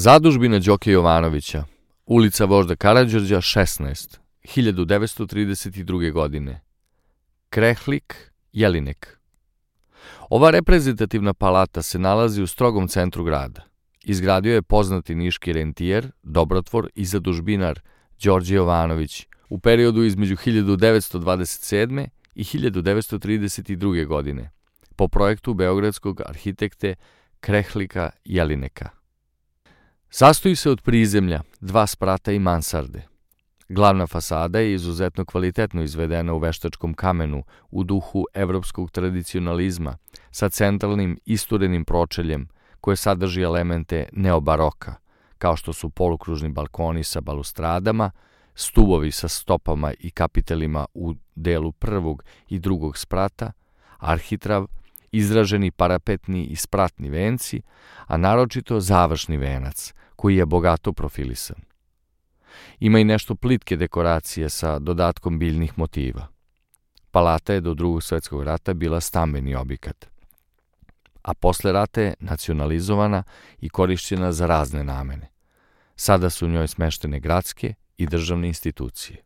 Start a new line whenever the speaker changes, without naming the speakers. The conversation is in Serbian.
Zadužbina Đoke Jovanovića, ulica Vožda Karađorđa 16, 1932. godine. Krehlik, Jelinek. Ova reprezentativna palata se nalazi u strogom centru grada. Izgradio je poznati niški rentijer, dobrotvor i zadužbinar Đorđe Jovanović u periodu između 1927. i 1932. godine po projektu beogradskog arhitekte Krehlika Jelineka. Sastoji se od prizemlja, 2 sprata i mansarde. Glavna fasada je izuzetno kvalitetno izvedena u veštačkom kamenu u duhu evropskog tradicionalizma sa centralnim isturenim pročeljem koje sadrži elemente neobaroka, kao što su polukružni balkoni sa balustradama, stubovi sa stopama i kapitelima u delu prvog i drugog sprata, arhitrav, izraženi parapetni i spratni venci, a naročito završni venac, koji je bogato profilisan. Ima i nešto plitke dekoracije sa dodatkom biljnih motiva. Palata je do Drugog svjetskog rata bila stambeni objekat, a posle rata je nacionalizovana i korišćena za razne namene. Sada su u njoj smeštene gradske i državne institucije.